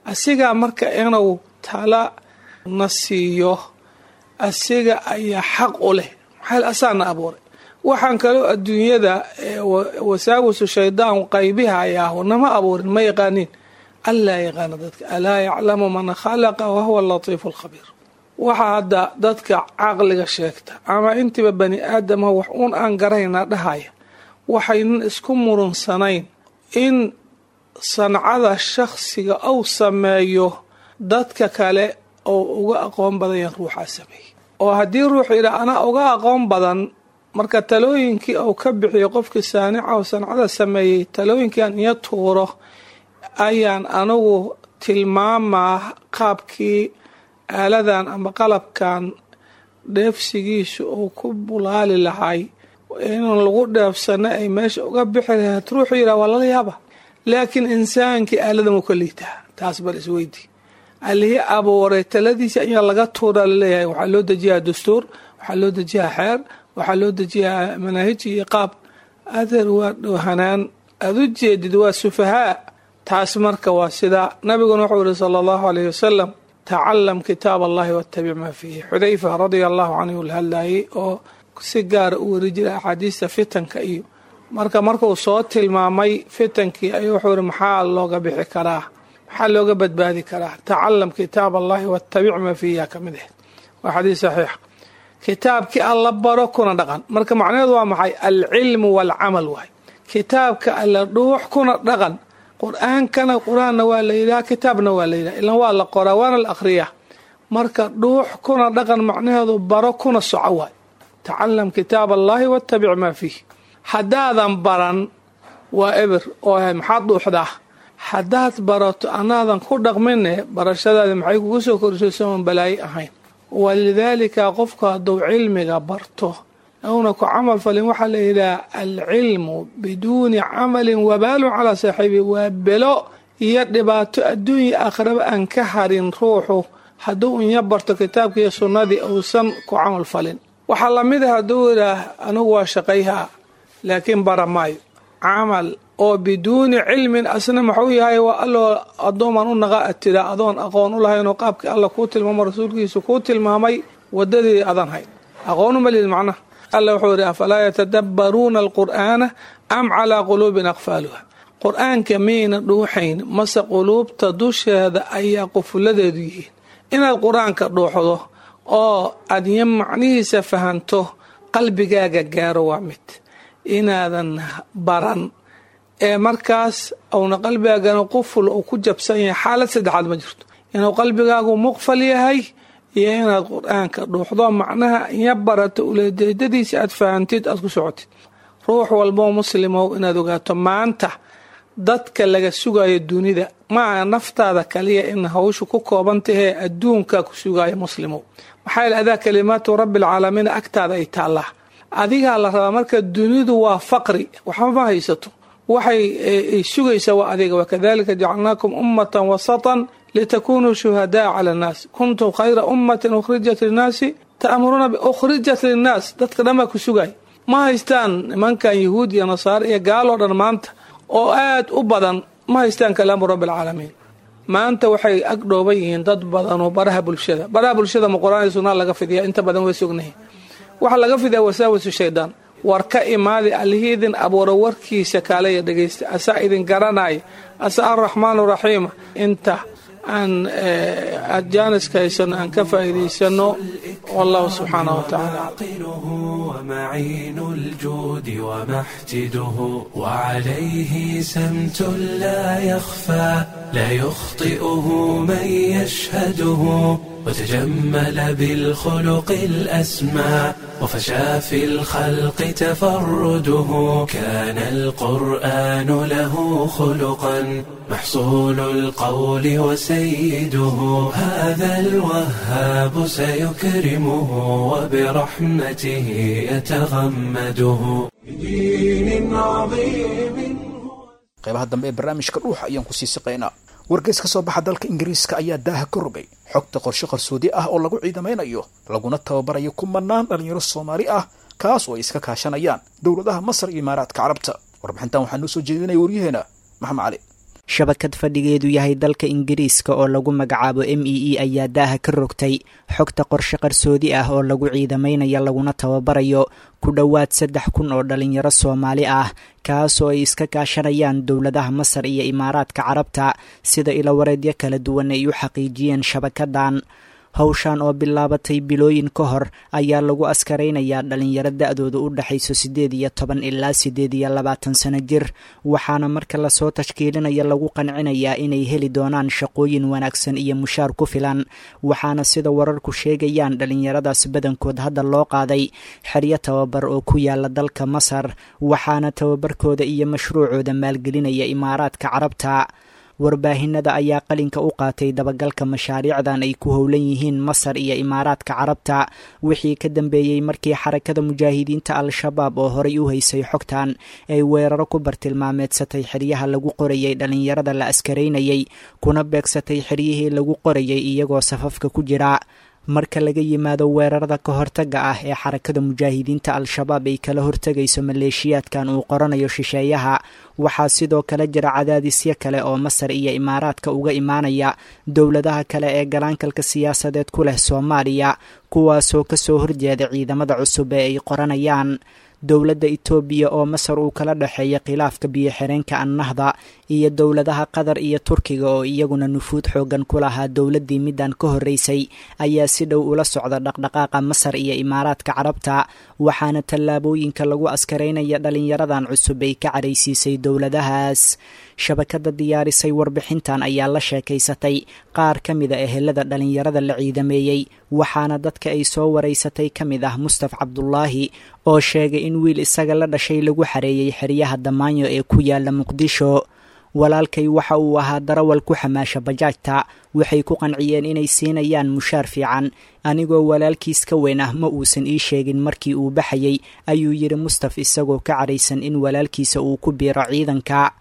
Asigaa marka inuu tala na siiyo asiga ayaa xaq u leh, maxaa asaana abuuray. Waxaan kaloo adduunyada wasaawisu shaydaan qaybihayaahu nama abuurin, ma yaqaaniin. Allaa yaqaana dadka, alaa yaclamu man khalaqa wahuwa alatiifu alkhabiir. Waxaa hadda dadka caqliga sheegta ama intiiba bani aadama wax uun aan garaynaa dhahaya, waxaynan isku murunsanayn in sancada shakhsiga uu sameeyo dadka kale oo uga aqoon badan yahan ruuxaa sameeyey. Oo haddii ruux yidhaa anaa uga aqoon badan, marka talooyinkii uu ka bixiyo qofkii saanica oo sancada sameeyey, talooyinkiiaan iyo tuuro ayaan anigu tilmaamaa qaabkii aaladan ama qalabkan dheefsigiisu uu ku bulaali lahay inuu lagu dheefsano ay meesha uga bixi lahayd, ruuxuu yidhaha waa lala yaaba. Laakiin insaankii aaladan wuu ka liitaa, taas bal isweydi. Allihii abuuray taladiisa ayaa laga tuuraa laleeyahay. Waxaa loo dejiyaa dastuur, waxaa loo dejiyaa xeer, waxaa loo dejiyaa manaahij iyo qaab. Adeer, waa dhoohanaan aada u jeedid, waa sufahaa taas. Marka waa sidaa. Nabiguna wuxuu yihi sala allahu alayhi wasalam: tacalam kitaab allahi wattabic maa fiihi. Xudayfa radia allahu canhu la hadlayay oo si gaara u weri jiray axaadiista fitanka iyo marka markuu soo tilmaamay fitankii ayuu wuxuu yihi: maxaa looga bixi karaa, maxaa looga badbaadi karaa? Tacalam kitaab allahi wattabic maa fiihi ka mid ah. Waa xadiis saxiix. Kitaabkii Alla baro kuna dhaqan. Marka macnaheedu waa maxay? Alcilmu waalcamal waay. Kitaabka Alla dhuux kuna dhaqan. Qur-aankana qur-aanna waa la yidhaha, kitaabna waa la yidhaha, ilan waa la qoraa waana la akhriyaa. Marka dhuux kuna dhaqan macnaheedu baro kuna soco waay. Tacalam kitaab allahi wattabic maa fiih. Haddaadan baran waa eber oo maxaad dhuuxdaa. Haddaad barato anaadan ku dhaqmine, barashadaadi maxay kugu soo korisay soon balaayo ahayn? Walidaalika qofku hadduu cilmiga barto una ku camal falin, waxaa la yidhaha alcilmu biduuni camalin wabaalun calaa saaxiibi, waa belo Iyo dhibaato adduunya aakhiraba aan ka harin ruuxu hadduu inya barto kitaabka iyo sunnadii uusan ku camal falin. Waxaa lamid ah hadduu idhaah anigu waa shaqayhaa laakiin bara maayo camal oo biduuni cilmin, asna maxuu yahay? Waa alloo addoomaan u naqa ad tiraa adoon aqoon u lahaynoo qaabkii alla kuu tilmaamo, rasuulkiisu kuu tilmaamay wadadii adan hayn aqoon uma lihid macnaha. Alla wuxuu yidhi afalaa yatadabbaruuna alqur'aana am calaa quluubin aqfaaluha. Qur-aanka miyayna dhuuxayn mase quluubta dusheeda ayaa qufuladeedu yihiin? Inaad qur-aanka dhuuxdo oo aadyo macnihiisa fahanto, qalbigaaga gaaro, waa mid inaadan baran ee markaas uuna qalbigaagana quful uu ku jabsan yahay. Xaalad saddexaad ma jirto, inuu qalbigaagu muqfal yahay iyo inaad qur-aanka dhuuxdo, macnaha iya barato, uleejeedadiisa aad fahantid, aad ku socotid. Ruux walboo muslimow, inaad ogaato maanta dadka laga sugayo dunida maaha naftaada kaliya in hawshu ku kooban tahee, adduunka ku sugayo muslimow. Maxaa yeele adaa kalimaatu rabbialcaalamiin agtaada ay taallaa, adigaa la rabaa. Marka dunidu waa faqri, waxba ma haysato, waxay sugaysaa waa adiga. Wakadalika jacalnaakum ummatan wasatan litakunuu shuhadaa cala annaas, kuntum khayra ummatin ukhrijat linnaasi ta'muruuna, ukhrijat linnaas. Dadka dhan baa ku sugay. Ma haystaan nimankan yahuud iyo nasaare iyo gaaloo dhan maanta oo aad u badan, ma haystaan kalaamu rabbi alcaalamiin. Maanta waxay ag dhooban yihiin dad badan oo baraha bulshada. Baraha bulshada ma qur-aan iyo sunnaa laga fidiya? Inta badan way sognahay, waxaa laga fidiyaa wasaawisu shaydaan. War ka imaadi allihii idin abuura warkiisa, kaalaya dhegaysta, asaa idin garanaya, asa arraxmaanu raxiima. Inta aan jaaniska haysano aan ka faa'iidaysano. Wallahu subxaanahu wa tacaala. ومعين الجود ومحتده، وعليه سمت لا يخفى لا يخطئه من يشهده، وتجمل بالخلق الأسمى وفشى في الخلق تفرده. كان القرآن له خلقا محصول القول وسيده. هذا الوهاب سيكرمه وبرحمته يتغمده. بدين عظيم. Qaybaha dambe ee barnaamijka Dhuuxa ayaan kusii siqaynaa. Wargeys ka soo baxa dalka Ingiriiska ayaa daaha ka rogay xogta qorshe qarsoodi ah oo lagu ciidamaynayo laguna tababarayo kumanaan dhalinyaro Soomaali ah, kaas oo ay iska kaashanayaan dowladaha Masar iyo Imaaraadka Carabta. Warbixintan waxaa noo soo jeedinaya waryaheena Maxamed Cali. Shabakad fadhigeedu yahay dalka Ingiriiska oo lagu magacaabo MEE ayaa daaha ka rogtay xogta qorshe qarsoodi ah oo lagu ciidamaynaya laguna tababarayo ku dhowaad 3000 oo dhalinyaro Soomaali ah, kaasoo ay iska kaashanayaan dowladaha Masar iyo Imaaraadka Carabta, sida ilowareedyo kala duwan ay u xaqiijiyeen shabakadan. Hawshan oo bilaabatay bilooyin ka hor ayaa lagu askaraynayaa dhalinyaro da-dooda u dhexayso 18 ilaa 28 sano jir, waxaana marka lasoo tashkiilinaya lagu qancinayaa inay heli doonaan shaqooyin wanaagsan iyo mushaar ku filan. Waxaana sida wararku sheegayaan dhalinyaradaas badankood hadda loo qaaday xeryo tababar oo ku yaala dalka Masar, waxaana tababarkooda iyo mashruucooda maalgelinaya Imaaraadka Carabta. Warbaahinada ayaa qalinka u qaatay dabagalka mashaariicdan ay ku howlan yihiin Masar iyo Imaaraadka Carabta wixii ka dambeeyey markii Xarakada Mujaahidiinta Al-Shabaab oo horay u haysay xogtan ay weeraro ku bartilmaameedsatay xeryaha lagu qorayay dhalinyarada la askaraynayay, kuna beegsatay xeryihii lagu qorayay iyagoo safafka ku jira. Marka laga yimaado weerarada ka hortaga ah ee Xarakada Mujaahidiinta Al-Shabaab ay kala hortegayso maleeshiyaadkan uu qoranayo shisheeyaha, waxaa sidoo kale jira cadaadisyo kale oo Masar iyo Imaaraadka uga imaanaya dowladaha kale ee galaankalka siyaasadeed ku leh Soomaaliya, kuwaasoo kasoo horjeeda ciidamada cusub ee ay qoranayaan. Dowladda Itoobiya oo Masar uu kala dhexeeya khilaafka biyo-xireenka Annahda, iyo dowladaha Qatar iyo Turkiga oo iyaguna nufuud xoogan ku lahaa dowladdii middan ka horreysay ayaa si dhow ula socda dhaqdhaqaaqa Masar iyo Imaaraadka Carabta, waxaana tallaabooyinka lagu askaraynaya dhalinyaradan cusub ay ka caraysiisay dowladahaas. Shabakada diyaarisay warbixintan ayaa la sheekaysatay qaar ka mida ehelada dhalinyarada la ciidameeyey, waxaana dadka ay soo waraysatay ka mid ah Mustaf Cabdulaahi oo sheegay in wiil isaga la dhashay lagu xareeyey xeryaha Damaanyo ee ku yaala Muqdisho. Walaalkay waxa uu ahaa darawal ku xamaasha bajaajta. Waxay ku qanciyeen inay siinayaan mushaar fiican. Anigoo walaalkiis ka weyn ah ma uusan ii sheegin markii uu baxayay, ayuu yidhi Mustaf, isagoo ka caraysan in walaalkiisa uu ku biiro ciidanka.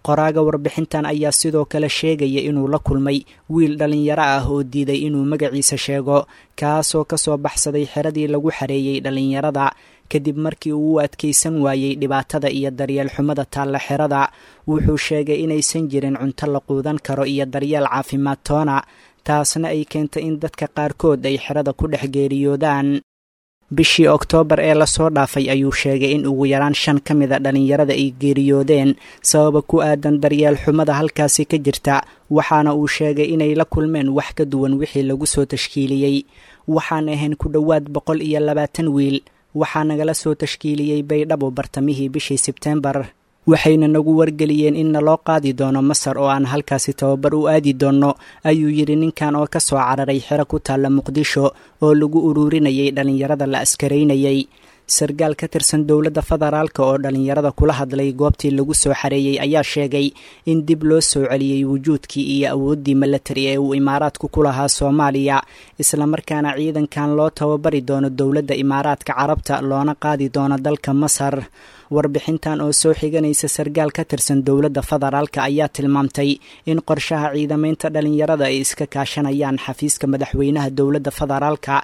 Qoraaga warbixintan ayaa sidoo kale sheegaya inuu la kulmay wiil dhallinyaro ah oo diiday inuu magaciisa sheego, kaasoo ka soo baxsaday xeradii lagu xareeyey dhallinyarada kadib markii uu u adkaysan waayey dhibaatada iyo daryeel xumada taalla xerada. Wuxuu sheegay inaysan jirin cunto la quudan karo iyo daryeel caafimaad toona, taasna ay keentay in dadka qaarkood ay xerada ku dhex geeriyoodaan. Bishii Oktoobar ee lasoo dhaafay ayuu sheegay in ugu yaraan 5 ka mida dhallinyarada ay geeriyoodeen sababa ku aadan daryeel xumada halkaasi ka jirta, waxaana uu sheegay inay la kulmeen wax ka duwan wixii lagu soo tashkiiliyey. Waxaan ahayn ku dhowaad 120 wiil, waxaa nagala soo tashkiiliyey Baydhabo bartamihii bishii Sebteembar, waxayna nagu wargeliyeen in naloo qaadi doono Masar oo aan halkaasi tababar u aadi doonno, ayuu yidhi ninkan oo ka soo cararay xero ku taalla Muqdisho oo lagu ururinayay dhallinyarada la askaraynayay. Sargaal ka tirsan dowladda federaalka oo dhallinyarada kula hadlay goobtii lagu soo xareeyey ayaa sheegay in dib loo soo celiyey wujuudkii iyo awooddii milatari ee uu Imaaraadku ku lahaa Soomaaliya, islamarkaana ciidankan loo tababari doono dowladda Imaaraadka Carabta loona qaadi doono dalka Masar. Warbixintan oo soo xiganaysa sargaal ka tirsan dowladda federaalka ayaa tilmaamtay in qorshaha ciidamaynta dhallinyarada ay iska kaashanayaan xafiiska madaxweynaha dowladda federaalka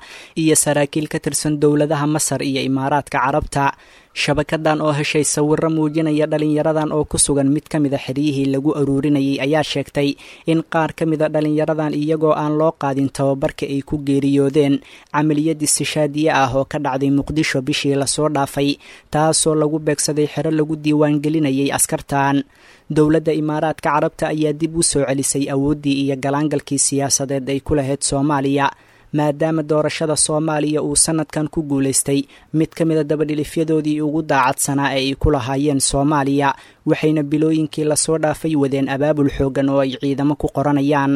iyo saraakiil ka tirsan dowladaha Masar iyo Imaaraadka Carabta. Shabakadan oo heshay sawirro muujinaya dhallinyaradan oo ku sugan mid ka mida xeryihii lagu aruurinayay ayaa sheegtay in qaar ka mida dhallinyaradan iyagoo aan loo qaadin tababarka ay ku geeriyoodeen camaliyad istishaadiye ah oo ka dhacday Muqdisho bishii lasoo dhaafay, taasoo lagu beegsaday xero lagu diiwaangelinayay askartan. Dowladda Imaaraadka Carabta ayaa dib u soo celisay awooddii iyo galaangalkii siyaasadeed ay ku lahayd Soomaaliya, maadaama doorashada Soomaaliya uu sanadkan ku guulaystay mid ka mida dabadhilifyadoodii ugu daacadsanaa ee ay ku lahaayeen Soomaaliya, waxayna bilooyinkii lasoo dhaafay wadeen abaabul xooggan oo ay ciidamo ku qoranayaan.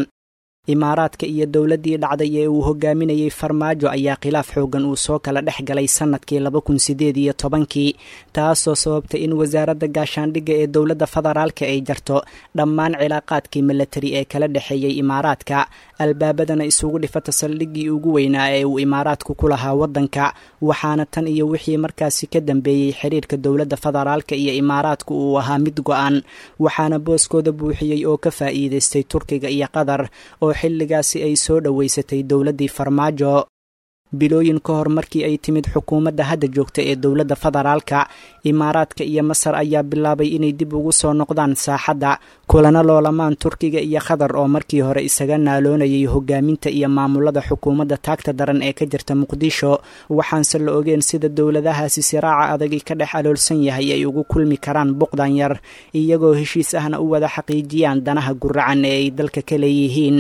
Imaaraadka iyo dowladdii dhacday ee uu hogaaminayey Farmaajo ayaa khilaaf xooggan uu soo kala dhex galay sanadkii 2018-kii, taasoo sababtay in wasaaradda gaashaandhigga ee dowladda federaalka ay jarto dhammaan cilaaqaadkii milatari ee kala dhexeeyey Imaaraadka, albaabadana isugu dhifata saldhiggii ugu weynaa ee uu Imaaraadku ku lahaa waddanka. Waxaana tan iyo wixii markaasi ka dambeeyey xiriirka dowladda federaalka iyo Imaaraadku uu ahaa mid go-an, waxaana booskooda buuxiyey oo ka faa'iidaystay Turkiga iyo Qatar oo xilligaasi ay soo dhoweysatay dowladdii Farmaajo. Bilooyin ka hor markii ay timid xukuumadda hadda joogta ee dowladda federaalka, Imaaraadka iyo Masar ayaa bilaabay inay dib ugu soo noqdaan saaxadda, kulana loolamaan Turkiga iyo Qatar oo markii hore isaga naaloonayay hogaaminta iyo maamulada xukuumadda taagta daran ee ka jirta Muqdisho. Waxaanse la ogeen sida dowladahaasi siraaca adagi ka dhex aloolsan yahay ay ugu kulmi karaan buqdan yar, iyagoo heshiis ahna u wada xaqiijiyaan danaha guracan ee ay dalka ka leeyihiin.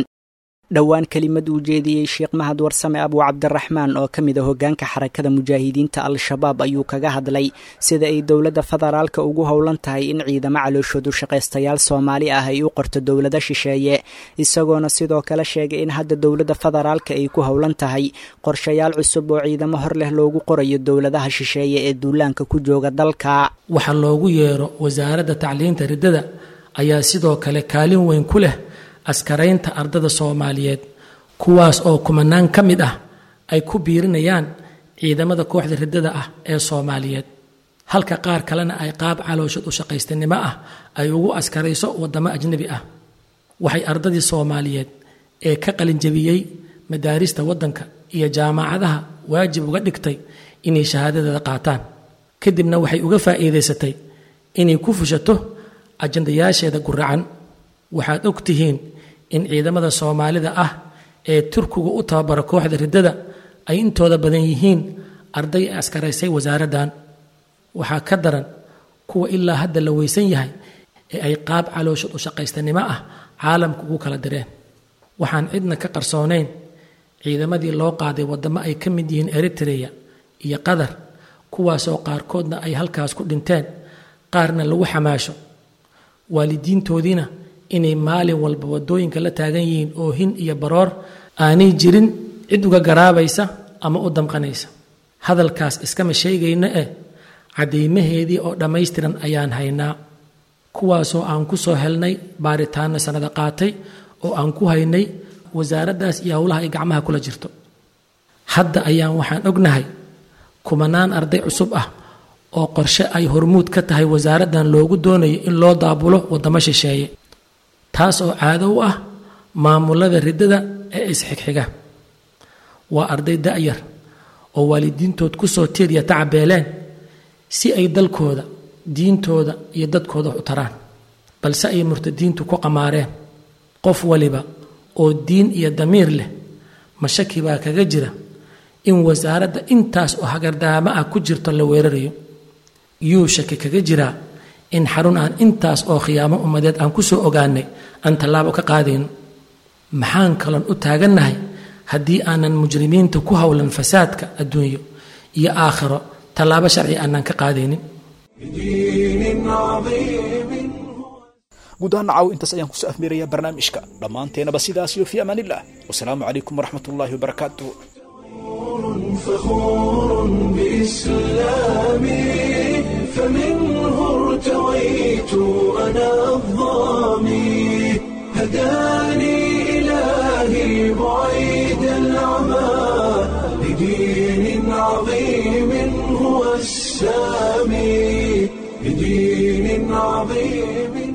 Dhowaan kelimad uu jeediyey Sheekh Mahad Warsame Abu Cabdiraxmaan oo ka mid a hoggaanka Xarakada Mujaahidiinta Al-Shabaab ayuu kaga hadlay sida ay dowladda federaalka ugu howlan tahay in ciidamo calooshoodu shaqaystayaal Soomaali ah ay u qorto dowlado shisheeye, isagoona sidoo kale sheegay in hadda dowladda federaalka ay ku howlan tahay qorshayaal cusub oo ciidamo hor leh loogu qorayo dowladaha shisheeye ee duulaanka ku jooga dalka. Waxaa loogu yeero wasaaradda tacliinta riddada ayaa sidoo kale kaalin weyn ku leh askaraynta ardada Soomaaliyeed, kuwaas oo kumanaan ka mid ah ay ku biirinayaan ciidamada kooxda riddada ah ee Soomaaliyeed, halka qaar kalena ay qaab calooshad u shaqaystanimo ah ay ugu askarayso waddamo ajnabi ah. Waxay ardadii Soomaaliyeed ee ka qalinjabiyey madaarista waddanka iyo jaamacadaha waajib uga dhigtay inay shahaadadeeda qaataan, kadibna waxay uga faa'iidaysatay inay ku fushato ajandayaasheeda guracan. Waxaad og tihiin in ciidamada Soomaalida ah ee Turkigu u tababaro kooxda riddada ay intooda badan yihiin arday ay askaraysay wasaaraddan. Waxaa ka daran kuwa ilaa hadda la weysan yahay ee ay qaab calooshad u shaqaystanimo ah caalamka ugu kala direen. Waxaan cidna ka qarsoonayn ciidamadii loo qaaday waddamo ay ka mid yihiin Eritrea iyo Qatar, kuwaasoo qaarkoodna ay halkaas ku dhinteen, qaarna lagu xamaasho, waalidiintoodiina inay maalin walba waddooyinka la taagan yihiin oohin iyo baroor aanay jirin cid uga garaabaysa ama u damqanaysa. Hadalkaas iskama sheegayno eh, caddaymaheedii oo dhammaystiran ayaan haynaa, kuwaasoo aan ku soo helnay baaritaanno sannada qaatay oo aan ku haynay wasaaraddaas iyo howlaha ay gacmaha kula jirto. Hadda ayaan waxaan ognahay kumanaan arday cusub ah oo qorshe ay hormuud ka tahay wasaaraddan loogu doonayo in loo daabulo waddamo shisheeye, taas oo caado u ah maamulada riddada ee isxigxiga. Waa arday da'yar oo waalidiintood ku soo tiirya tacabeeleen si ay dalkooda, diintooda iyo dadkooda wax u taraan, balse ay murtadiintu ku qamaareen. Qof waliba oo diin iyo damiir leh mashaki baa kaga jira in wasaaradda intaas oo hagardaamo ah ku jirto la weerarayo. Yuu shaki kaga jiraa in xarun aan intaas oo khiyaamo ummadeed aan ku soo ogaanay aan tallaabo ka qaadayno? Maxaan kaloon u taagannahay haddii aanan mujrimiinta ku howlan fasaadka adduunyo iyo aakhiro tallaabo sharci aanan ka qaadaynin? بدين عظيم. Guud ahaan caaw intaas ayaan kusoo afmeerayaa barnaamijka dhammaanteenaba. Sidaas iyo fi amaanillah, wasalaamu calaykum waraxmatullaahi wabarakaatuh. فخور بإسلامي، فمنه ارتويت أنا الظامي، هداني إلهي بعيد العمى لدين عظيم هو السامي، لدين عظيم.